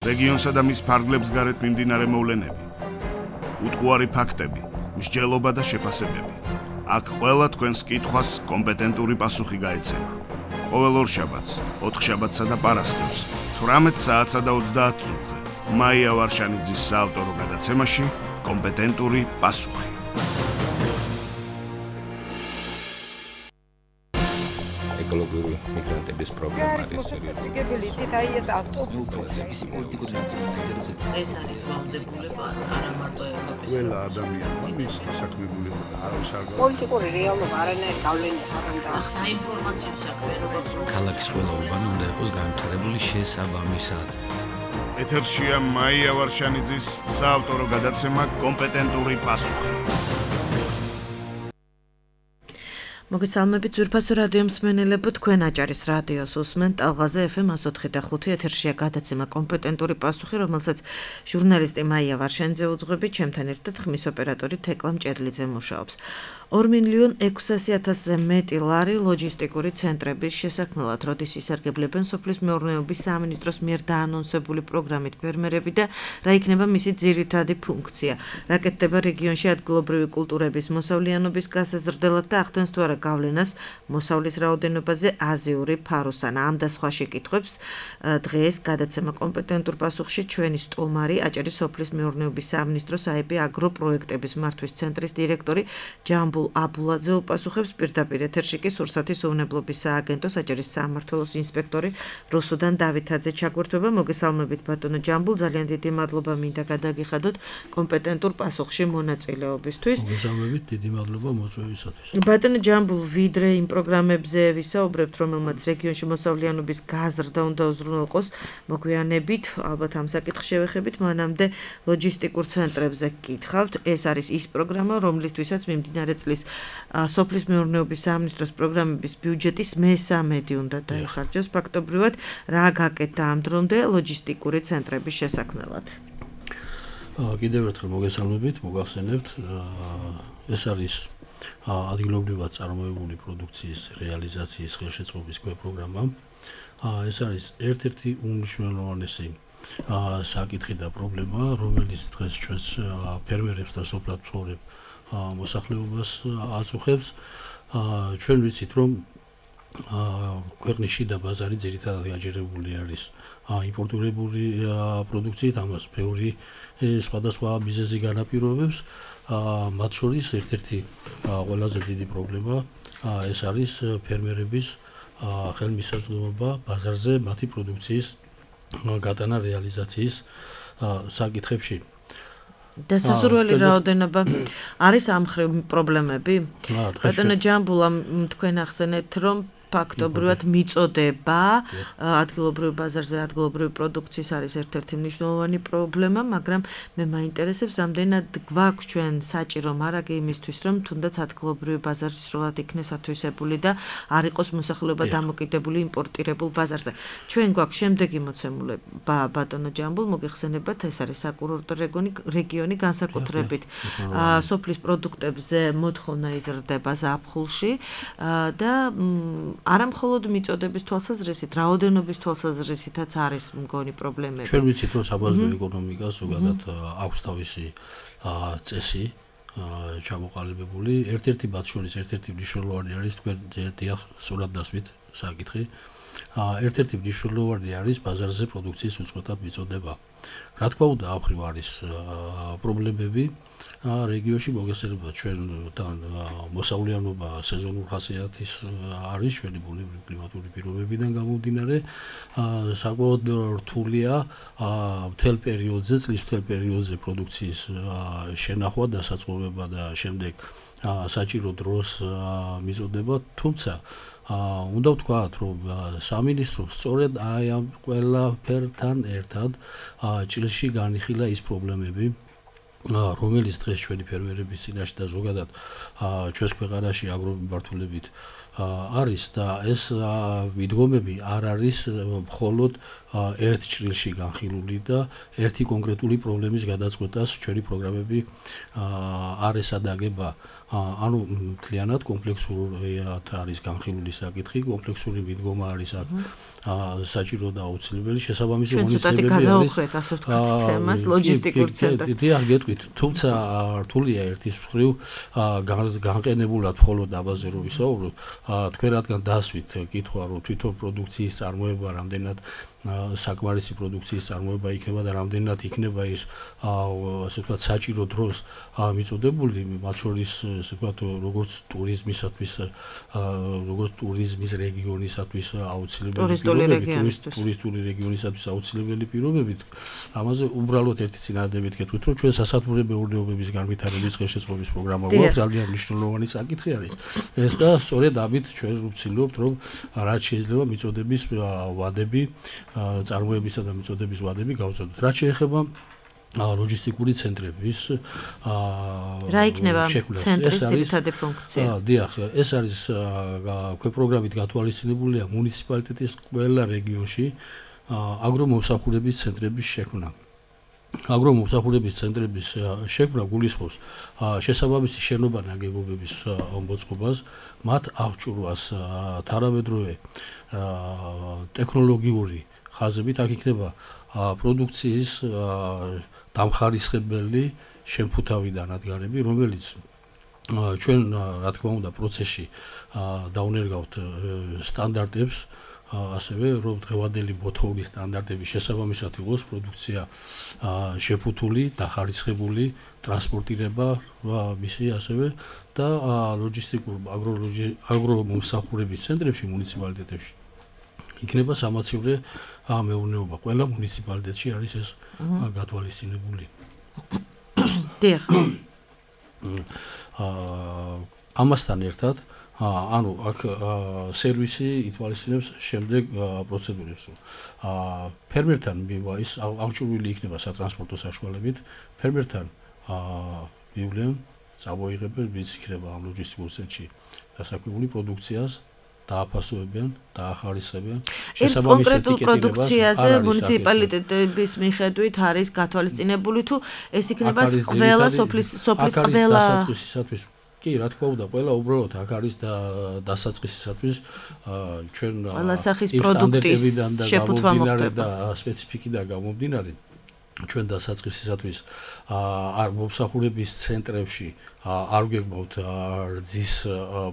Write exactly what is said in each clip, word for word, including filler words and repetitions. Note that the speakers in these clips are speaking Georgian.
რეგიონსა და მის ფარგლებს გარეთ მიმდინარე მოვლენები, უტყუარი ფაქტები, მსჯელობა და შეფასებები. აქ ყველა თქვენს კითხვას კომპეტენტური პასუხი გაეცემა. ყოველ ორშაბათს, ოთხშაბათსა და პარასკევს, თვრამეტ საათსა და ოცდაათ წუთზე, მაია ვარშანიძის საავტორო გადაცემაში კომპეტენტური პასუხი. ეკოლოგიური მიგრანტების პრობლემა არის მოსაციგებელი იცით აი ეს ავტობუსის პოლიტიკური ნაწილი მაინტერესებს. ეს არის ვალდებულება არა მარტო ევროპის ყველა ადამიანმა მის დასაქმებულება და არავის არ პოლიტიკური რეალობა არანაირ გავლენას არ აქვს. საინფორმაციო საქმიანობა ქალაქის ყველა უბანი უნდა იყოს განვითარებული შესაბამისად. ეთერშია მაია ვარშანიძის საავტორო გადაცემა კომპეტენტური პასუხი. მოგესალმებით ძვირფასო რადიო მსმენელებო, თქვენ აჭარის რადიოს უსმენთ ტალღაზე ეფ ემ one oh five point five ეთერშია გადაცემა კომპეტენტური პასუხი, რომელსაც ჟურნალისტი მაია ვარშანიძე უძღვებით, ჩემთან ერთად ხმის ოპერატორი თეკლა მჭედლიძე მუშაობს. ორ მილიონ ექვსასი ათასზე მეტი ლარი ლოჯისტიკური ცენტრების შესაქმნელად, როდის ისარგებლებენ სოფლის მეურნეობის სამინისტროს მიერ დაანონსებული პროგრამით ფერმერები და რა იქნება მისი ძირითადი ფუნქცია. რა კეთდება რეგიონში ადგილობრივი კულტურების მოსავლიანობის გასაზრდელად და ახდენს თუ არა გავლენას მოსავლის რაოდენობაზე აზიური ფაროსანა. ამ და სხვა შეკითხვებს დღეს გადაცემა კომპეტენტურ პასუხში ჩვენი სტუმარი, აჭარის სოფლის მეურნეობის სამინისტროს აები აგროპროექტების მართვის ცენტრის დირექტორი ჯამბულ აბულაძე უპასუხებს, პირდაპირ ეთერში კი სურსათის უვნებლობის სააგენტოს აჭარის სამმართველოს ინსპექტორი რუსუდან დავითაძე ჩაგვერთვება. მოგესალმებით ბატონო ჯამბულ, ძალიან დიდი მადლობა მინდა გადაგიხადოთ კომპეტენტურ პასუხში მონაწილეობისთვის. მოგესალმებით, დიდი მადლობა მოწვევისათვის. ბატონო ჯამბულ, ვიდრე იმ პროგრამებზე ვისაუბრებთ, რომელმაც რეგიონში მოსავლიანობის გაზრდა უნდა უზრუნველყოს, მოგვიანებით ალბათ ამ საკითხს შევეხებით, მანამდე ლოჯისტიკურ ცენტრებზე გკითხავთ. ეს არის ის პროგრამა, რომლისთვისაც მიმდინარე წლის სოფლის მეურნეობის სამინისტროს პროგრამების ბიუჯეტის მესამედი უნდა დაიხარჯოს. ფაქტობრივად, რა გაკეთდა ამ დრომდე ლოჯისტიკური ცენტრების შესაქმნელად? კიდევ ერთხელ მოგესალმებით, მოგახსენებთ, ეს არის ადგილობრივად წარმოებული პროდუქციის რეალიზაციის ხელშეწყობის პროგრამა. ეს არის ერთ-ერთი უმნიშვნელოვანესი საკითხი და პრობლემა, რომელიც დღეს ჩვენს ფერმერებს და სოფლად მცხოვრებ მოსახლეობას აწუხებს. ჩვენ ვიცით, რომ ქვეყნის შიდა ბაზარი ძირითადად გაჯერებული არის იმპორტირებული პროდუქციით, ამას ბევრი სხვადასხვა მიზეზი განაპირობებს. მათ შორის ერთ-ერთი ყველაზე დიდი პრობლემა ეს არის ფერმერების ხელმისაწვდომობა ბაზარზე მათი პროდუქციის გატანა რეალიზაციის საკითხებში. და სასურველი რაოდენობა არის ამ მხრივ პრობლემები? ბატონო ჯამბულა, თქვენ ახსენეთ, რომ ფაქტობრივად მიწოდება ადგილობრივ ბაზარზე ადგილობრივი პროდუქციის არის ერთ-ერთი მნიშვნელოვანი პრობლემა, მაგრამ მე მაინტერესებს, რამდენად გვაქვს ჩვენ საჭირო მარაგი იმისთვის, რომ თუნდაც ადგილობრივი ბაზარი სრულად იქნეს ათვისებული და არ იყოს მოსახლეობა დამოკიდებული იმპორტირებულ ბაზარზე. ჩვენ გვაქვს შემდეგი მოცემულობა, ბატონო ჯამბულ, მოგეხსენებათ, ეს არის საკურორტო რეგიონი, განსაკუთრებით სოფლის პროდუქტებზე მოთხოვნა იზრდება ზაფხულში და არა მხოლოდ მიწოდების თვალსაზრისით, რაოდენობის თვალსაზრისითაც არის მგონი პრობლემები. ჩვენ ვიცით, რომ საბაზრო ეკონომიკა ზოგადად აქვს თავისი წესი ჩამოყალიბებული. ერთ-ერთი მათ შორის ერთ-ერთი მნიშვნელოვანი არის თქვენ დიახ სრულად დასვით საკითხი. ერთ-ერთი მნიშვნელოვანი არის ბაზარზე პროდუქციის უწყვეტად მიწოდება. რა თქმა უნდა, ამ მხრივ არის პრობლემები. რეგიონში მოგესალმებით, ჩვენთან მოსავლიანობა სეზონურ ხასიათის არის ჩვენი ბუნებრივი კლიმატური პირობებიდან გამომდინარე. საკმაოდ რთულია მთელ პერიოდზე, წლის მთელ პერიოდზე პროდუქციის შენახვა, დასაწყობება და შემდეგ საჭირო დროს მიწოდება, თუმცა უნდა ვთქვათ, რომ სამინისტრო სწორედ აი ამ ყველაფერთან ერთად ჭრილში განიხილა ის პრობლემები, რომელიც დღეს ჩვენი ფერმერების წინაშე და ზოგადად ჩვენს ქვეყანაში აგრომიმართულებით არის და ეს მიდგომები არ არის მხოლოდ ერთ ჭრილში განხილული და ერთი კონკრეტული პრობლემის გადაწყვეტას ჩვენი პროგრამები არ ესადაგება. ანუ მთლიანად კომპლექსურად არის განხილული საკითხი, კომპლექსური მიდგომა არის აქ საჭირო და აუცილებელი. შესაბამისი ღონისძიებები არის. გადაუხვეთ ასე ვთქვათ თემას ლოჯისტიკურ ცენტრში. დიახ, გეტყვით, თუმცა რთულია ერთის მხრივ განყენებულად მხოლოდ აბაზე რო ვისაუბროთ, თქვენ რადგან დასვით კითხვა რომ თვითონ პროდუქციის წარმოება რამდენად საკმარისი პროდუქციის წარმოება იქნება და რამდენად იქნება ის ასე ვთქვათ საჭირო დროს მიწოდებული, მათ შორის ასე ვთქვათ როგორც ტურიზმისათვის, როგორც ტურიზმის რეგიონისათვის აუცილებელი პირობებით, ტურისტული რეგიონისათვის აუცილებელი პირობებით, ამაზე უბრალოდ ერთი წინადადებით გეტყვით, რომ ჩვენ სასათბურე მეურნეობების განვითარების ხელშეწყობის პროგრამა გვაქვს, ძალიან მნიშვნელოვანი საკითხი არის. ეს და სწორედ ამით ჩვენ ვცდილობთ, რომ რაც შეიძლება მიწოდების ვადები წარმოებისა და მიწოდების ვადები გავზადოთ. რაც შეეხება ლოჯისტიკური ცენტრების რა იქნება ცენტრის ძირითადი ფუნქცია? დიახ, ეს არის ქვე პროგრამით გათვალისწინებულია მუნიციპალიტეტის ყველა რეგიონში აგრომომსახურების ცენტრების შექმნა. აგრომომსახურების ცენტრების შექმნა გულისხმობს შესაბამისი შენობა ნაგებობების მოწყობას, მათ აღჭურვას თანამედროვე ტექნოლოგიური ხაზებით, აქ იქნება პროდუქციის დამხარისხებელი შემფუთავი დანადგარები, რომელიც ჩვენ რა თქმა უნდა პროცესში დაუნერგავთ სტანდარტებს, ასევე რომ დღევანდელი მოთხოვნის სტანდარტების შესაბამისად იყოს პროდუქცია შეფუთული, დახარისხებული, ტრანსპორტირება მისი ასევე და ლოჯისტიკურ აგრომომსახურების ცენტრებში მუნიციპალიტეტებში იქნება სამაცივრე მეურნეობა. ყველა მუნიციპალიტეტში არის ეს გათვალისწინებული. დიახ. ამასთან ერთად ანუ აქ სერვისი ითვალისწინებს შემდეგ პროცედურებს. ფერმერთან ის აღჭურვილი იქნება სატრანსპორტო საშუალებით, ფერმერთან მივლენ, წამოიღებენ, ვის იქნება ამ ლოჯისტიკურ ცენტრში დასაქმებული პროდუქციას დააფასებენ, დაახარისხებენ. შესაბამისი პროდუქციაზე მუნიციპალიტეტების მიხედვით არის გათვალისწინებული თუ ეს იქნება ყველა სოფლის სოფლის ყველა დასაწყისისათვის. კი, რა თქმა უნდა, ყველა უბრალოდ აქ არის და დასაწყისისათვის ჩვენ ყველა სახის პროდუქტის შეფუთვა მოხდება და სპეციფიკიდან გამომდინარე ჩვენ დასაწყისისათვის არ მომსახურების ცენტრებში არ გეგმავთ რძის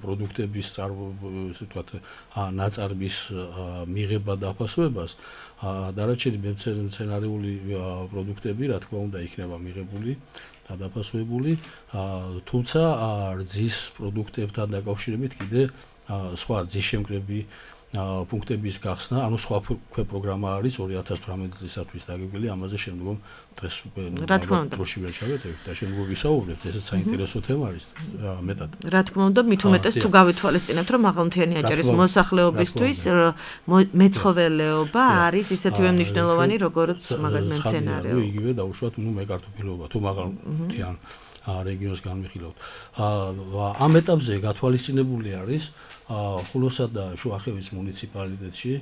პროდუქტების ასე ვთქვათ ნაწარმის მიღება და აფასოებას, დანარჩენი მცენარეული პროდუქტები რა თქმა უნდა იქნება მიღებული და დაფასებული, თუმცა რძის პროდუქტებთან დაკავშირებით კიდე სხვა რძის შემკრები პუნქტების გახსნა, ანუ სხვა ქვე პროგრამა არის ორი ათას თვრამეტი წლისათვის დაგეგმილი, ამაზე შემდგომ დღეს უკვე დროში ვერ ჩავეტევით და შემდგომ ვისაუბრებთ, ესეც საინტერესო თემა არის მეტად. რა თქმა უნდა, მით უმეტეს თუ გავითვალისწინებთ, რომ მაღალმთიანი აჭარის მოსახლეობისთვის მეცხოველეობა არის ისეთივე მნიშვნელოვანი, როგორც მაგალითად მცენარეულობა. იგივე დაუშვათ, ნუ მეკარტოფილეობა, თუ მაღალმთიან რეგიონს განვიხილავთ. ამ ეტაპზე გათვალისწინებული არის ხულოსა და შუახევის მუნიციპალიტეტში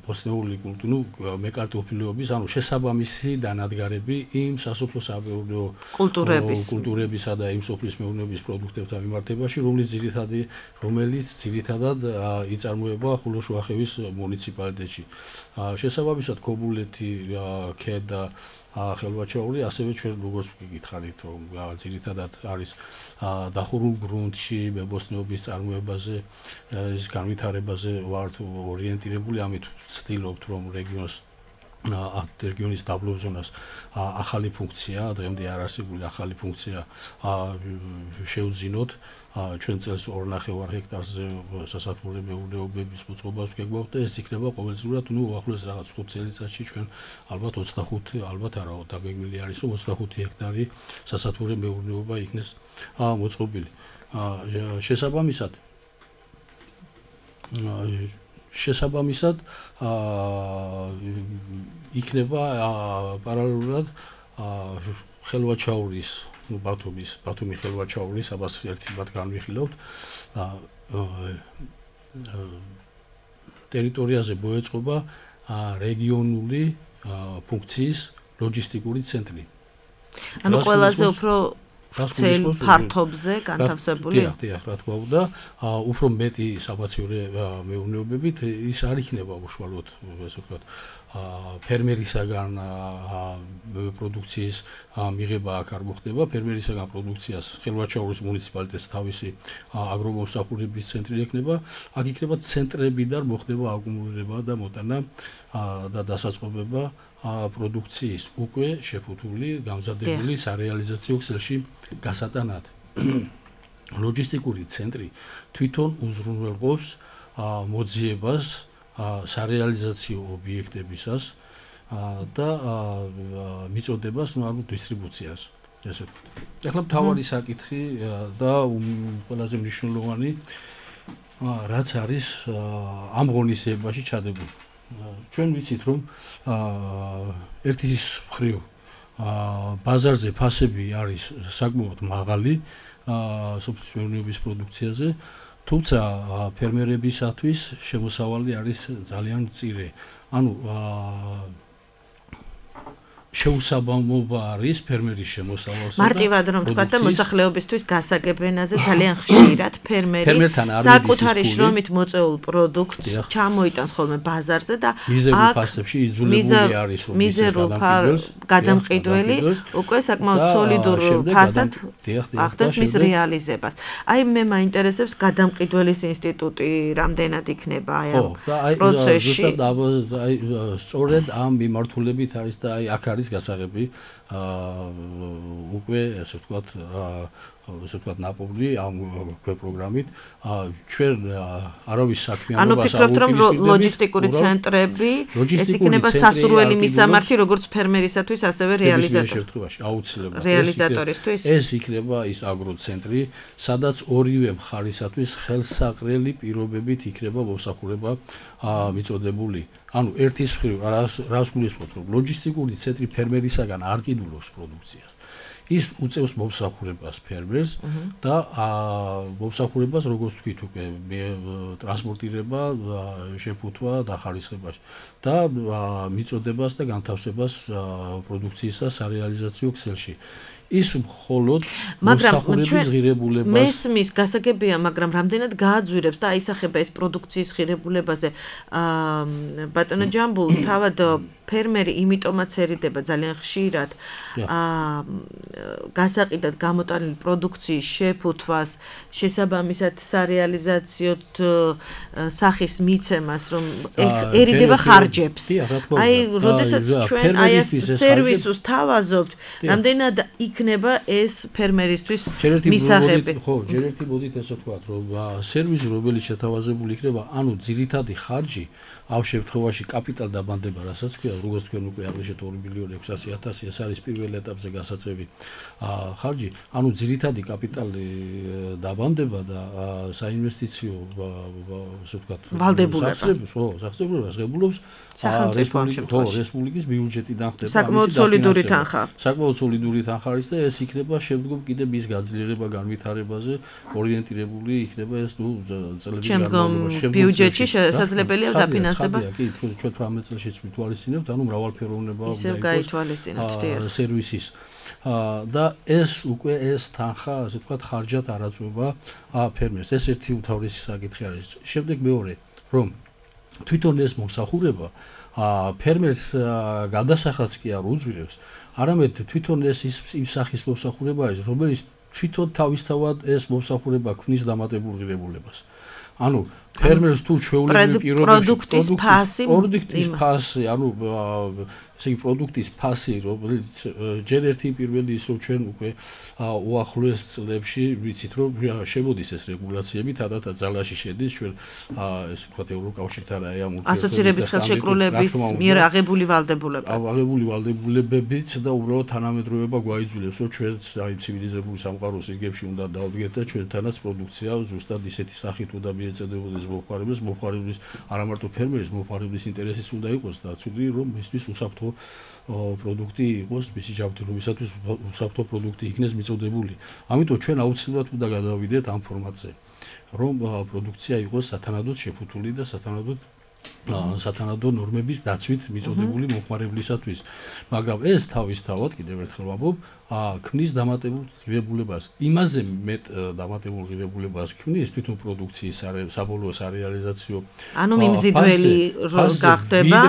ბოსნეული კულტურა, ნუ მეკარტოფილეობის, ანუ შესაბამისი დანადგარები იმ სასოფლო-სამეურნეო კულტურებისა და იმ სოფლის მეურნეობის პროდუქტებთან მიმართებაში, რომლის ძირითადი რომელიც ძირითადად იწარმოება ხულოს-შუახევის მუნიციპალიტეტში. შესაბამისად ქობულეთი, ქედა ხელვაჩაური, ასევე ჩვენ როგორც ვგითხარით, რომ ძირითადად არის დახურულ გრუნტში მებოსტნეობის წარმოებაზე, ის განვითარებაზე ვართ ორიენტირებული, ამით ვცდილობთ, რომ რეგიონს რეგიონის დაბლობ ზონას ახალი ფუნქცია, დღემდე არ არსებული ახალი ფუნქცია შევძინოთ. ჩვენ წელს ორ ნახევარ ჰექტარზე სასათბურე მეურნეობების მოწყობას ვგეგმავთ და ეს იქნება ყოველწლიურად, ნუ უახლოეს რაღაც ხუთ წელიწადში ჩვენ ალბათ ოცდახუთი, ალბათ არა, დაგეგმილი არის, რომ ოცდახუთი ჰექტარი სასათბურე მეურნეობა იქნეს მოწყობილი. შესაბამისად შესაბამისად იქნება პარალელურად ხელვაჩაურის ბათუმის ბათუმი ხელვაჩაურის აბას ერთად განვიხილავთ ტერიტორიაზე მოეწყობა რეგიონული ფუნქციის ლოჯისტიკური ცენტრი. ანუ ყველაზე უფრო ცელ ფართობზე განთავსებული. დიახ, დიახ, რა თქმა უნდა, უფრო მეტი სამაციური მეურნეობებით ის არ იქნება უშუალოდ, ესე ვთქვათ, ფერმერისაგან პროდუქციის მიღება აქ არ მოხდება, ფერმერისაგან პროდუქციას ხელვაჩაურის მუნიციპალიტეტს თავისი აგრომომსახურების ცენტრი ექნება, აქ იქნება ცენტრებიდან მოხდება აკუმულირება და მოტანა და დასაწყობება პროდუქციის უკვე შეფუთული, გამზადებული სარეალიზაციო ქსელში გასატანად. ლოჯისტიკური ცენტრი თვითონ უზრუნველყოფს მოძიებას სარეალიზაციო ობიექტებისას და მიწოდებას, ну, ანუ დისტრიბუციას, ესე ვთქვათ. ეხლა მთავარი საკითხი და ყველაზე მნიშვნელოვანი რაც არის ამ ღონისძიებაში ჩადებული. ჩვენ ვიცით, რომ ერთის მხრივ ბაზარზე ფასები არის საკმაოდ მაღალი სოფლის მეურნეობის პროდუქციაზე, თუმცა ფერმერებისათვის შემოსავალი არის ძალიან მწირე. ანუ შეუსაბამობა არის ფერმერის შემოსავალსა და მარტივად რომ თქვა და მოსახლეობისთვის გასაგებენაზე ძალიან ხშირად ფერმერი საკუთარი შრომით მოწეულ პროდუქტს ჩამოიტანს ხოლმე ბაზარზე და აქ ფასებში იძულებული არის რომ მიზერულ გადამყიდველი უკვე საკმაოდ სოლიდურ ფასად ახდენს მის რეალიზებას. აი მე მაინტერესებს გადამყიდველის ინსტიტუტი რამდენად იქნება აი ამ პროცესში. აი სწორედ ამ მიმართულებით არის და აი აქ არის გასაღები უკვე ესე ვთქვათ ესე ვთქვათ ნაპოვნი ამ პროგრამით ჩვენ არავის საქმიანობას ანუ ფიქრობთ რომ ლოჯისტიკური ცენტრები ეს იქნება სასურველი მისამართი როგორც ფერმერისათვის ასევე რეალიზატორ რეალიზატორისთვის ეს იქნება ის აგროცენტრი სადაც ორივე მხარისათვის ხელსაყრელი პირობებით იქნება მომსახურება მიწოდებული ანუ ერთის მხრივ რას გულისხმობთ რომ ლოჯისტიკური ცენტრი ფერმერისაგან არ კიდულობს პროდუქციას ის უწევს მომსახურებას ფერმერს და მომსახურებას როგორც თქვით უკვე ტრანსპორტირება, შეფუთვა და ხარისხება და მიწოდებას და განთავსებას პროდუქციისა სარეალიზაციო ქსელში. ის მხოლოდ მოსახურების ღირებულებას მესმის გასაგებია, მაგრამ რამდენად გააძვირებს და აისახება ეს პროდუქციის ღირებულებაზე ბატონო ჯამბულ თავად ფერმერი იმიტომაც ერიდება ძალიან ხშირად გასაყიდად გამოტანილი პროდუქციის შეფუთვას, შესაბამისად სარეალიზაციო სახის მიცემას, რომ ერიდება ხარჯებს. აი, როდესაც ჩვენ აი ეს სერვისს თავაზობთ, რამდენად იქნება ეს ფერმერისთვის მისაღები. ხო, ჯერ ერთი მოდით ესე ვთქვათ, რომ სერვისი რომელიც შეთავაზებული იქნება, ანუ ძირითადი ხარჯი ამ შემთხვევაში კაპიტალ დაბანდება, რასაც ქვია, როგორც თქვენ უკვე აღნიშნეთ ორი მილიონი ექვსასი ათასი, ეს არის პირველ ეტაპზე გასაწევი ხარჯი, ანუ ძირითადი კაპიტალი დაბანდება და საინვესტიციო ასე ვთქვათ, ვალდებულებას, ხო, სახსრებულობას ღებულობს რესპუბლიკის ბიუჯეტიდან ხდება საკმაოდ სოლიდური თანხა. საკმაოდ სოლიდური თანხა არის და ეს იქნება შემდგომ კიდე მის გაძლიერება განვითარებაზე ორიენტირებული იქნება ეს თუ წლების განმავლობაში ბიუჯეტში შესაძლებელია დაფინანსება. კი, ჩვენ თვრამეტ წელშიც მითვალისწინებთ, ანუ მრავალფეროვნება უნდა იყოს სერვისის. და ეს უკვე ეს თანხა, ასე ვთქვათ, ხარჯად არ აწვება ფერმერს. ეს ერთი უთავრესი საკითხი არის. შემდეგ მეორე, რომ თვითონ ეს მომსახურება ფერმერს გადასახადს კი არ უძვირებს, არამედ თვითონ ეს იმ სახის მომსახურება არის, რომელიც თვითონ თავისთავად ეს მომსახურება ქმნის დამატებულ ღირებულებას. ანუ ფერმერს თუ ჩვეულებრივ პირობებში პროდუქტის ფასი, პროდუქტის ფასი, ანუ ესე იგი პროდუქტის ფასი, რომელიც ჯერ ერთი პირველი ის რომ ჩვენ უკვე უახლოეს წლებში ვიცით რომ შემოდის ეს რეგულაციები, თადათა ძალაში შედის ჩვენ ესე ვთქვათ ევროკავშირთან აი ამ ასოცირების ხელშეკრულების მიერ აღებული ვალდებულება. აღებული ვალდებულებებიც და უბრალოდ თანამედროვეობა გვაიძულებს რომ ჩვენ აი ცივილიზებული სამყაროს რიგებში უნდა დავდგეთ და ჩვენთანაც პროდუქცია ზუსტად ისეთი სახით უნდა მიეწოდებოდეს ფერმერის მომხმარებლის მომხმარებლის არა მარტო ფერმერის მომხმარებლის ინტერესიც უნდა იყოს დაცული, რომ მისთვის უსაფრთხო პროდუქტი იყოს, მისი ჯანმრთელობისათვის უსაფრთხო პროდუქტი იქნეს მიწოდებული. ამიტომ ჩვენ აუცილებლად უნდა გადავიდეთ ამ ფორმატზე, რომ პროდუქცია იყოს სათანადოდ შეფუთული და სათანადოდ სათანადო ნორმების დაცვით მიწოდებული მომხმარებლისათვის. მაგრამ ეს თავისთავად კიდევ ერთხელ ვამბობ, ქმნის დამატებულ ღირებულებას. იმაზე მეტ დამატებულ ღირებულებას ქმნის თვითონ პროდუქციის საბოლოო სარეალიზაციო. ანუ მიმზიდველი რო გახდება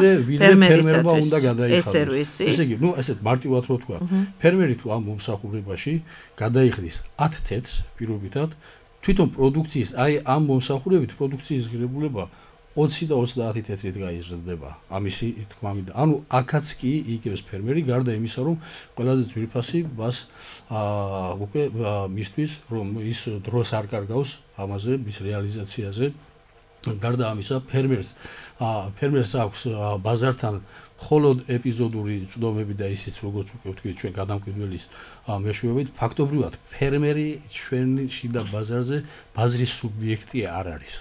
ფერმერისათვის უნდა გადაიხადოს. ეს სერვისი. ესე იგი, ნუ ესეთ მარტივად რო თქვა, ფერმერი თუ ამ მომსახურებაში გადაიხდის ათ თეთს პირობითად, თვითონ პროდუქციის, აი ამ მომსახურებით პროდუქციის ღირებულება ოცი და ოცდაათი თეთრით გაიზრდება ამისი თქმა მინდა. ანუ აქაც კი იგებს ფერმერი გარდა იმისა, რომ ყველაზე ძვირფასი მას აა უკვე მისთვის რომ ის დროს არ კარგავს ამაზე მის რეალიზაციაზე. გარდა ამისა ფერმერს აა ფერმერს აქვს ბაზართან მხოლოდ ეპიზოდური წვდომები და ისიც როგორც უკვე ვთქვით ჩვენ გადამკვიდველის მეშვეობით ფაქტობრივად ფერმერი ჩვენი შიდა ბაზარზე ბაზრის სუბიექტი არ არის.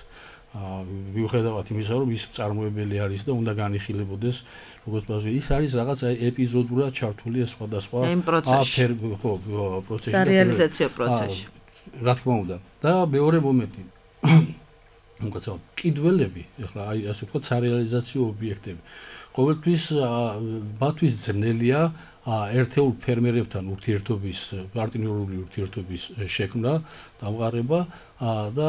მიუხედავად იმისა, რომ ის წარმოებელი არის და უნდა განიხილებოდეს, როგორც ბაზრი, ის არის რაღაც ეპიზოდურად ჩართული სხვადასხვა ხო, პროცესში, სარეალიზაციო პროცესში. რა თქმა უნდა. და მეორე მომენტი, მოგწევთ, კიდველები, ეხლა აი ასე ვთქვათ, სარეალიზაციო ობიექტები. ყოველთვის მათთვის ძნელია ერთეულ ფერმერებთან ურთიერთობის, პარტნიორული ურთიერთობის შექმნა, დამყარება და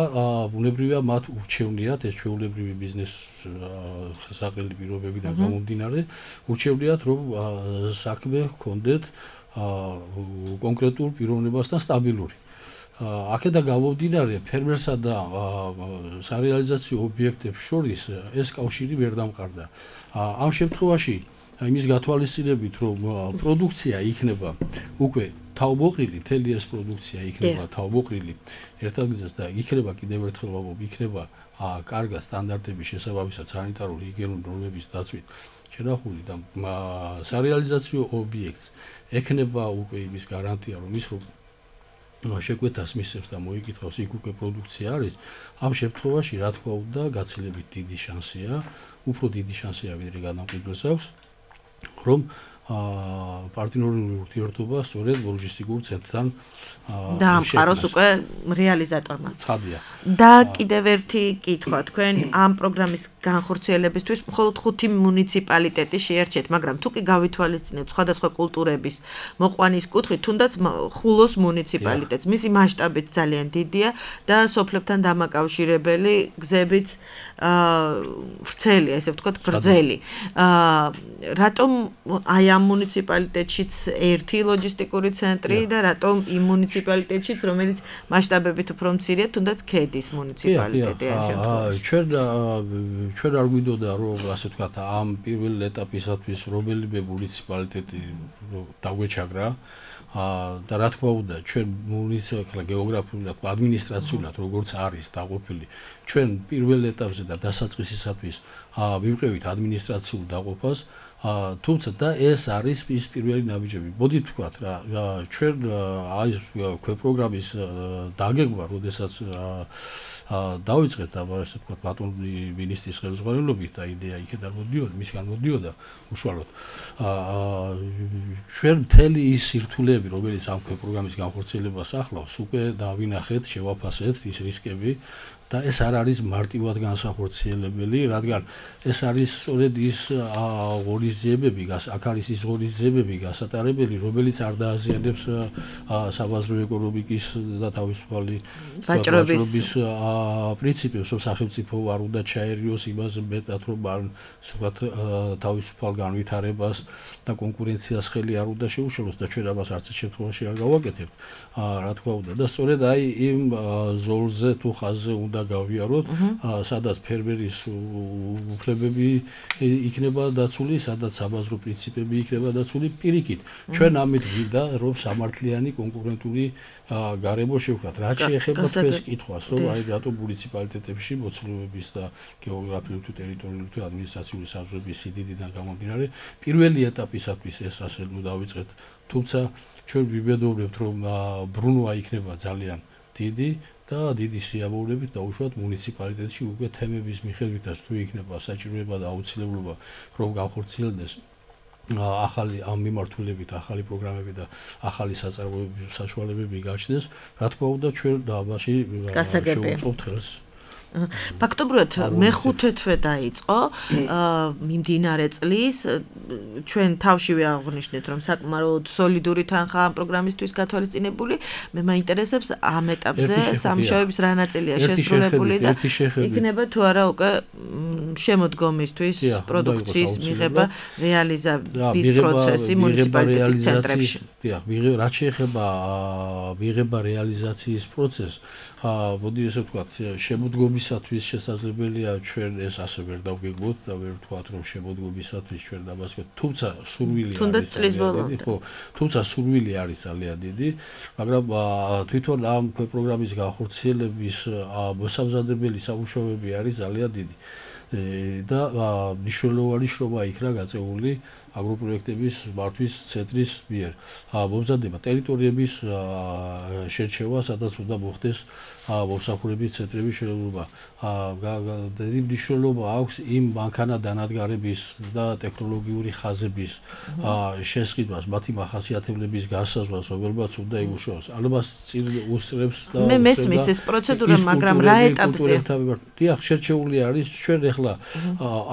ბუნებრივია მათ ურჩევნიათ ეს ჩვეულებრივი ბიზნეს საყრელი პირობებიდან გამომდინარე, ურჩევნიათ რომ საქმე ჰქონდეთ კონკრეტულ პიროვნებასთან სტაბილური. აქედან გამომდინარე ფერმერსა და სარეალიზაციო ობიექტებს შორის ეს კავშირი ვერ დამყარდა. ამ შემთხვევაში იმის გათვალისწინებით, რომ პროდუქცია იქნება უკვე თავმოყრილი, მთელი ეს პროდუქცია იქნება თავმოყრილი ერთად გზას და იქნება კიდევ ერთხელ ვამბობ, იქნება კარგად სტანდარტების შესაბამისად სანიტარული ჰიგიენური ნორმების დაცვით შენახული და სარეალიზაციო ობიექტს ექნება უკვე იმის გარანტია, რომ ის რომ შეკვეთას მისცემს და მოიკითხავს იქ უკვე პროდუქცია არის, ამ შემთხვევაში რა თქმა უნდა გაცილებით დიდი შანსია, უფრო დიდი შანსია ვიდრე გადამკვიდველს აქვს, რომ პარტნიორული ურთიერთობა სწორედ ლოჯისტიკურ ცენტრთან დაამყაროს უკვე რეალიზატორმა. ცხადია. და კიდევ ერთი კითხვა, თქვენ ამ პროგრამის განხორციელებისთვის მხოლოდ ხუთი მუნიციპალიტეტი შეერჩეთ, მაგრამ თუ კი გავითვალისწინებთ სხვადასხვა კულტურების მოყვანის კუთხით, თუნდაც ხულოს მუნიციპალიტეტს, მისი მასშტაბით ძალიან დიდია და სოფლებთან დამაკავშირებელი გზებიც ვრცელია, ესე ვთქვათ, გრძელი. რატომ აი ამ მუნიციპალიტეტშიც ერთი ლოჯისტიკური ცენტრი და რატომ იმ მუნიციპალიტეტშიც, რომელიც მასშტაბებით უფრო მცირეა, თუნდაც ქედის მუნიციპალიტეტი ამ შემთხვევაში. ჩვენ ჩვენ არ გვინდოდა რომ ასე ვთქვათ, ამ პირველ ეტაპისათვის რომელიმე მუნიციპალიტეტი დაგვეჩაგრა და რა თქმა უნდა, ჩვენ მუნიციპალიტეტი გეოგრაფიულად, ადმინისტრაციულად როგორც არის დაყოფილი, ჩვენ პირველ ეტაპზე და დასაწყისისათვის მივყევით ადმინისტრაციულ დაყოფას, თუმცა და ეს არის ის პირველი ნაბიჯები. მოდით ვთქვათ რა, ჩვენ აი ქვეპროგრამის დაგეგმვა, როდესაც დავიწყეთ და ასე ვთქვათ, ბატონი მინისტრის ხელმძღვანელობით და იდეა იქიდან მოდიოდა, მისგან მოდიოდა უშუალოდ. ჩვენ მთელი ის სირთულეები, რომელიც ამ ქვეპროგრამის განხორციელებას ახლავს, უკვე დავინახეთ, შევაფასეთ ის რისკები და ეს არ არის მარტივად განსახორციელებელი, რადგან ეს არის სწორედ ის ღონისძიებები, აქ არის ის ღონისძიებები გასატარებელი, რომელიც არ დააზიანებს საბაზრო ეკონომიკის და თავისუფალი ვაჭრობის პრინციპებს, რომ სახელმწიფო არ უნდა ჩაერიოს იმას მეტად, რომ არ ვთქვათ თავისუფალ განვითარებას და კონკურენციას ხელი არ უნდა შეუშალოს და ჩვენ ამას არც შემთხვევაში არ გავაკეთებთ. რა თქმა უნდა და სწორედ აი იმ ზოლზე თუ ხაზზე უნდა გავიაროთ, სადაც ფერმერის უფლებები იქნება დაცული, სადაც საბაზრო პრინციპები იქნება დაცული პირიქით. ჩვენ ამით გვინდა, რომ სამართლიანი კონკურენტული გარემო შევქმნათ. რაც შეეხება თქვენს კითხვას, რომ აი რატო მუნიციპალიტეტებში მოცულობების და გეოგრაფიული თუ ტერიტორიული თუ ადმინისტრაციული საზღვრების სიდიდიდან გამომდინარე, პირველი ეტაპისათვის ეს ასე ნუ დავიწყეთ, თუმცა ჩვენ ვიბედოვრებთ, რომ ბრუნვა იქნება ძალიან დიდი და დიდი სიამოვნებით დაუშვათ მუნიციპალიტეტში უკვე თემების მიხედვითაც თუ იქნება საჭიროება და აუცილებლობა რომ განხორციელდეს ახალი ამ მიმართულებით ახალი პროგრამები და ახალი საწარმოებები საშუალებები გაჩნდეს, რა თქმა უნდა ჩვენ დაბაში შევუწყობთ ხელს. ფაქტობრივად მეხუთე თვე დაიწყო მიმდინარე წლის ჩვენ თავშივე აღვნიშნეთ რომ საკმაოდ სოლიდური თანხა ამ პროგრამისთვის გათვალისწინებული მე მაინტერესებს ამ ეტაპზე სამუშაოების რა ნაწილია შესრულებული და იქნება თუ არა უკვე შემოდგომისთვის პროდუქციის მიღება რეალიზების პროცესი მუნიციპალიტეტის ცენტრებში. დიახ, რაც შეეხება მიღება რეალიზაციის პროცესს, მოდი ესე ვთქვათ, შემოდგომისათვის შესაძლებელია ჩვენ ეს ასე ვერ დავგეგმოთ და ვერ ვთქვათ რომ შემოდგომისათვის ჩვენ დამასკოთ, თუმცა სურვილი არის ძალიან დიდი, ხო, თუმცა სურვილი არის ძალიან დიდი, მაგრამ თვითონ ამ პროგრამის განხორციელების მოსამზადებელი სამუშაოები არის ძალიან დიდი. და მნიშვნელოვანი შრომა იქნა გაწეული აგროპროექტების მართვის ცენტრის მიერ. მომზადება ტერიტორიების შერჩევა, სადაც უნდა მოხდეს მომსახურების ცენტრების შენობა. დიდი მნიშვნელობა აქვს იმ მანქანა-დანადგარების და ტექნოლოგიური ხაზების შესყიდვას, მათი მახასიათებლების განსაზღვრას, რომელმაც უნდა იმუშაოს. ამას წინ უსწრებს და მე მესმის ეს პროცედურა, მაგრამ რა ეტაპზე? დიახ, შერჩეული არის ჩვენ ახლა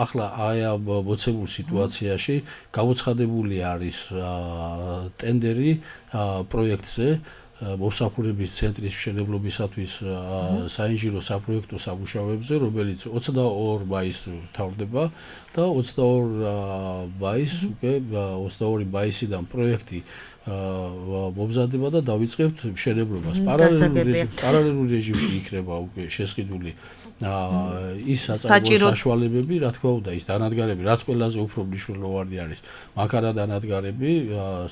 ახლა აი ამ მოცემულ სიტუაციაში გამოცხადებული არის ტენდერი პროექტზე მომსახურების ცენტრის მშენებლობისათვის საინჟინრო საპროექტო სამუშაოებზე, რომელიც ოცდაორი მაისს მთავრდება და ოცდაორი მაისს უკვე ოცდაორი მაისიდან პროექტი მომზადება და დავიწყებთ მშენებლობას. პარალელურ რეჟიმში იქნება უკვე შესყიდული ის საწარმოო საშუალებები, რა თქმა უნდა, ის დანადგარები, რაც ყველაზე უფრო მნიშვნელოვანი არის. მანქანა დანადგარები,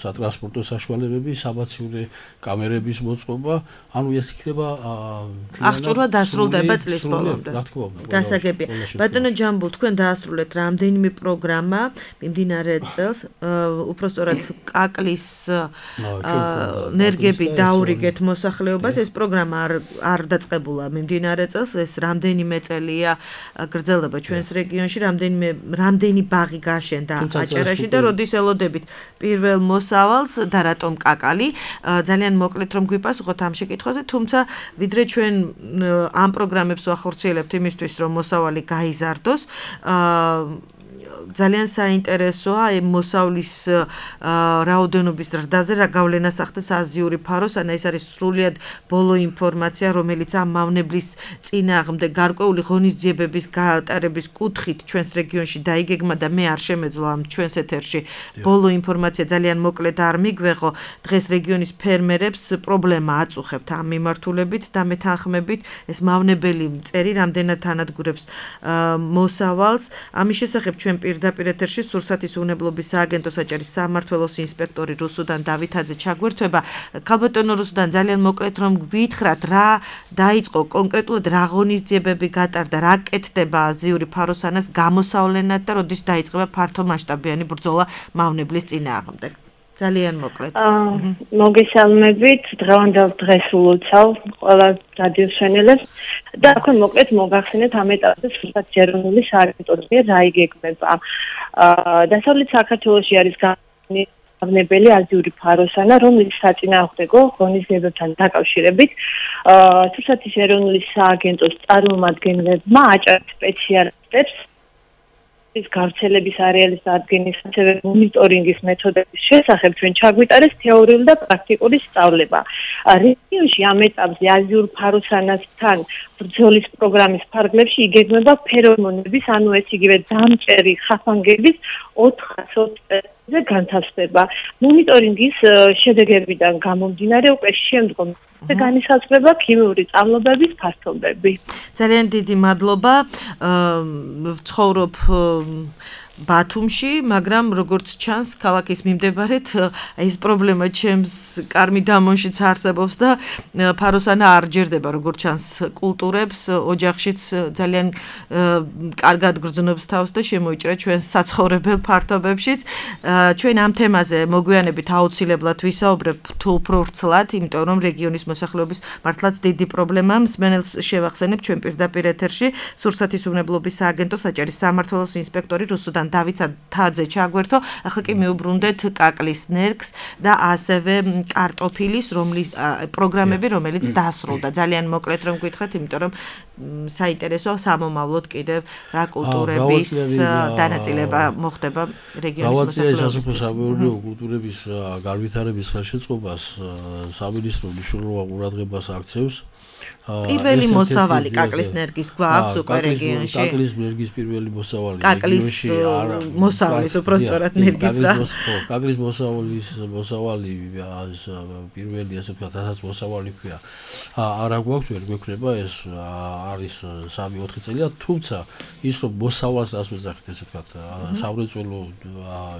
სატრანსპორტო საშუალებები, სამაციურე კამერების მოწყობა, ანუ ეს იქნება აღჭურვა დასრულდება წლის ბოლომდე. რა თქმა უნდა. გასაგებია. ბატონო ჯამბულ, თქვენ დაასრულეთ რამდენიმე პროგრამა მიმდინარე წელს, უпростоრად კაკლის ნერგები დაურიგეთ მოსახლეობას, ეს პროგრამა არ არ დაწყებულა მიმდინარე წელს, ეს რამდენიმე წელია გრძელდება ჩვენს რეგიონში, რამდენიმე რამდენი ბაღი გაშენდა აჭარაში და როდის ელოდებით პირველ მოსავალს და რატომ კაკალი? ძალიან მოკლედ რომ გვიპასუხოთ ამ შეკითხვაზე, თუმცა ვიდრე ჩვენ ამ პროგრამებს ვახორციელებთ იმისთვის, რომ მოსავალი გაიზარდოს, ძალიან საინტერესოა აი მოსავლის რაოდენობის ზრდაზე რა გავლენას ახდენს აზიური ფაროს, ან ეს არის სრულიად ბოლო ინფორმაცია, რომელიც ამ მავნებლის წინააღმდეგ გარკვეული ღონისძიებების გატარების კუთხით ჩვენს რეგიონში დაიგეგმა და მე არ შემეძლო ამ ჩვენს ეთერში ბოლო ინფორმაცია ძალიან მოკლედ არ მიგვეღო. დღეს რეგიონის ფერმერებს პრობლემა აწუხებთ ამ მიმართულებით და მეთანხმებით ეს მავნებელი მწერი რამდენად ანადგურებს მოსავალს. ამის შესახებ ჩვენ პირდაპირ ეთერში სურსათის უნებლობის სააგენტოს აჭარის სამმართველოს ინსპექტორი რუსუდან დავითაძე ჩაგვერთვება. ქალბატონო რუსუდან, ძალიან მოკლედ რომ გვითხრათ რა დაიწყო კონკრეტულად რა ღონისძიებები გატარდა, რა კეთდება აზიური ფაროსანას გამოსავლენად და როდის დაიწყება ფართომასშტაბიანი ბრძოლა მავნებლის წინააღმდეგ. ძალიან მოკლედ. მოგესალმებით, დღევანდელ დღეს ულოცავ ყველა რადიოსვენელებს და ახლა მოკლედ მოგახსენეთ ამ ეტაპზე სურსათის ეროვნული სააგენტოს მიერ რა იგეგმება. დასავლეთ საქართველოში არის მავნებელი აზიური ფაროსანა, რომლის საწინააღმდეგო ღონისძიებებთან დაკავშირებით სურსათის ეროვნული სააგენტოს წარმომადგენლებმა აჭარის სპეციალისტებს ის გავრცელების არეალის დადგენის, ასევე მონიტორინგის მეთოდების შესახებ ჩვენ ჩაგვიტარეს თეორიული და პრაქტიკული სწავლება. რეგიონში ამ ეტაპზე აზიურ ფაროსანასთან ბრძოლის პროგრამის ფარგლებში იგეგმება ფერომონების, ანუ ეს იგივე დამჭერი ხაფანგების ოთხასოც განთავსდება. მონიტორინგის შედეგებიდან გამომდინარე უკვე შემდგომ განისაზღვრება ქიმიური წამლობების ფასობები. ძალიან დიდი მადლობა. ვცხოვრობ ბათუმში, მაგრამ როგორც ჩანს, ქალაქის მიმდებარედ ეს პრობლემა ჩემს კარმი დამონშიც არსებობს და ფაროსანა არ ჯერდება, როგორც ჩანს, კულტურებს, ოჯახშიც ძალიან კარგად გრძნობს თავს და შემოიჭრა ჩვენ საცხოვრებელ ფართობებშიც. ჩვენ ამ თემაზე მოგვიანებით აუცილებლად ვისაუბრებ თუ უფრო ვრცლად, იმიტომ რომ რეგიონის მოსახლეობის მართლაც დიდი პრობლემაა. მსმენელს შევახსენებ ჩვენ პირდაპირ ეთერში სურსათისმმებლობის სააგენტო საჭირის სამმართველოს ინსპექტორი რუსუდან დავით თაძე ჩაგვერთო. ახლა კი მივუბრუნდეთ კაკლის ნერგს და ასევე კარტოფილის რომლის პროგრამები, რომელიც დასრულდა. ძალიან მოკლედ რომ გითხრათ, იმიტომ რომ საინტერესო სამომავლოდ კიდევ რა კულტურების დანაწილება მოხდება რეგიონის მოსახლეობის. სასოფლო კულტურების განვითარების ხელშეწყობას სამინისტრო მნიშვნელოვან ყურადღებას აქცევს. პირველი მოსავალი კაკლის ნერგის გვაქვს უკვე რეგიონში. კაკლის ნერგის პირველი მოსავალი კაკლის მოსავლის უბრალოდ ნერგის რა. კაკლის მოსავლის მოსავალი პირველი ასე ვთქვათ, ასაც მოსავალი ქვია. არა გვაქვს, ვერ გვექნება ეს არის სამი ოთხი წელია, თუმცა ის რომ მოსავალს ასვეძახით ასე ვთქვათ, სამრეწველო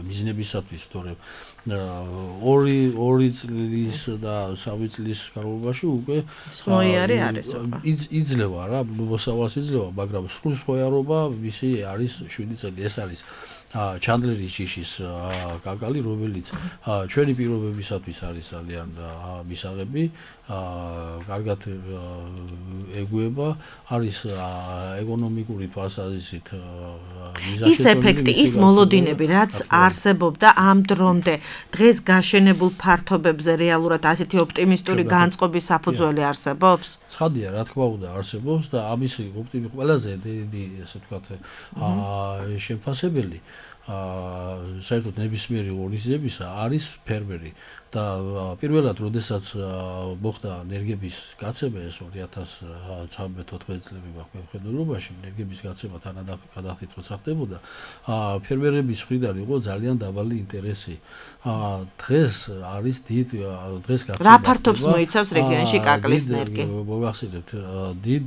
მიზნებისათვის, თორემ ორი ორი წლის და სამი წლის განმავლობაში უკვე სხვაიარი არის. იძლევა რა, მოსავალს იძლევა, მაგრამ სრულ სხვაიარობა მისი არის შვიდი წელი. ეს არის ჩანდლერის ჯიშის კაკალი, რომელიც ჩვენი პირობებისათვის არის ძალიან მისაღები, კარგად ეგუება, არის ეკონომიკური თვალსაზრისით მიზანშეწონილი. ის ეფექტი, ის მოლოდინები, რაც არსებობდა ამ დრომდე, დღეს გაშენებულ ფართობებზე რეალურად ასეთი ოპტიმისტური განწყობის საფუძველი არსებობს? ცხადია, რა თქმა უნდა, არსებობს და ამისი ოპტიმიზმი ყველაზე დიდი, ასე ვთქვათ, შეფასებელი საერთოდ ნებისმიერი ღონისძიებისა არის ფერმერი და პირველად როდესაც მოხდა ნერგების გაცემა ეს ორი ათას ცხრამეტ-ათოთხმეტ წლები მხედველობაში ნერგების გაცემა თანადახდით როცა ხდებოდა ფერმერების მხრიდან იყო ძალიან დაბალი ინტერესი. დღეს არის დიდ დღეს გაცემა რა ფართობს მოიცავს რეგიონში კაკლის ნერგი? მოგახსენებთ დიდ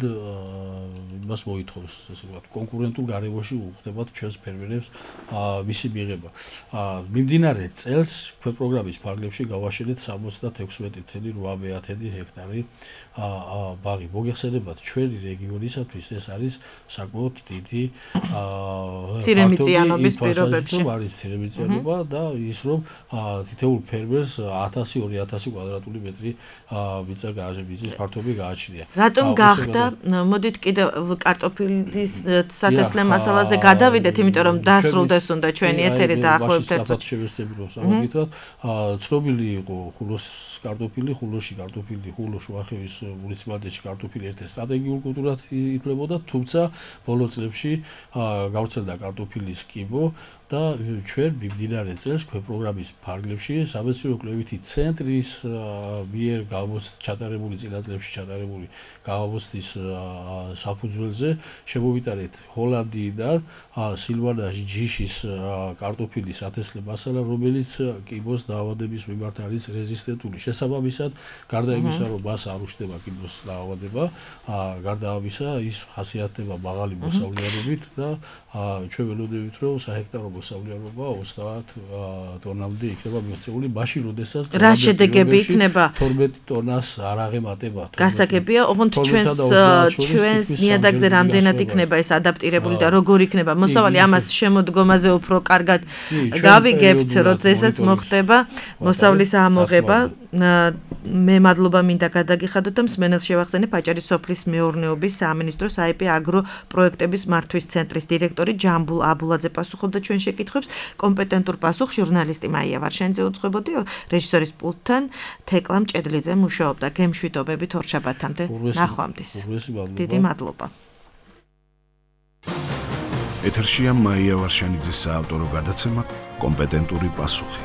იმას მოითხოვს ესე ვთქვათ კონკურენტულ გარემოში უხდებათ ჩვენს ფერმერებს მისი მიღება. მიმდინარე წელს პროგრამის ფარგლებში გავაშენეთ სამოცდათექვსმეტი წელი რვამეათედი ჰექტარი ბაღი. მოგეხსენებათ ჩვენი რეგიონისათვის ეს არის საკმაოდ დიდი ცირემიწიანობის პირობებში. არის ცირემიწიანობა და ის რომ თითოეულ ფერმერს ათასი ორი ათასი კვადრატული მეტრი მიწა გააჩნია, ფართობი გააჩნია. რატომ გახდა? მოდით კიდევ კარტოფილის სათესლე მასალაზე გადავიდეთ, იმიტომ რომ დასრულდეს უნდა ჩვენი ეთერი და ახლობთ ერთად შევესწრებით რომ სამაგითად ცნობილი იყო ხულოს კარტოფილი, ხულოში კარტოფილი, ხულო შუახევის მუნიციპალიტეტში კარტოფილი ერთ-ერთ სტრატეგიულ კულტურად ითვლებოდა, თუმცა ბოლო წლებში გავრცელდა კარტოფილის კიბო და ჩვენ მიმდინარე წელს პროგრამის ფარგლებში სამეცნიერო კვლევითი ცენტრის მიერ ჩატარებული წინა წლებში ჩატარებული გამოცდის საფუძველზე შემოვიტანეთ ჰოლანდიიდან სილვანას ჯიშის კარტოფილის ათესლე მასალა, რომელიც კიბოს დაავადების მიმართ არის რეზისტენტული. შესაბამისად, გარდა იმისა, რომ მას არ უშდება კიბოს დაავადება, გარდა ამისა ის ხასიათდება მაღალი მოსავლიანობით და ჩვენ ველოდებით, რომ საჰექტარო მოსავლიანობა ოცდაათ ტონამდე იქნება მიღწეული, მაშინ როდესაც რა შედეგები იქნება? თორმეტ ტონას არ აღემატება. გასაგებია, ოღონდ ჩვენს ჩვენს ნიადაგზე რამდენად იქნება ეს ადაპტირებული და როგორ იქნება მოსავალი, ამას შემოდგომაზე უფრო კარგად გავიგებთ, როდესაც მოხდება მოსავლის ამოღება. მე მადლობა მინდა გადაგიხადოთ და მსმენელს შევახსენებ აჭარის სოფლის მეურნეობის სამინისტროს აიპ აგრო პროექტების მართვის ცენტრის დირექტორი ჯამბულ აბულაძე პასუხობდა ჩვენ შეკითხვებს. კომპეტენტურ პასუხს ჟურნალისტი მაია ვარშენიძე უძღვებოდი, რეჟისორის პულტთან თეკლა მჭედლიძე მუშაობდა. გემშვიდობებით ორშაბათამდე ნახვამდის. დიდი მადლობა. ეთერშია მაია ვარშენიძის საავტორო გადაცემა კომპეტენტური პასუხი.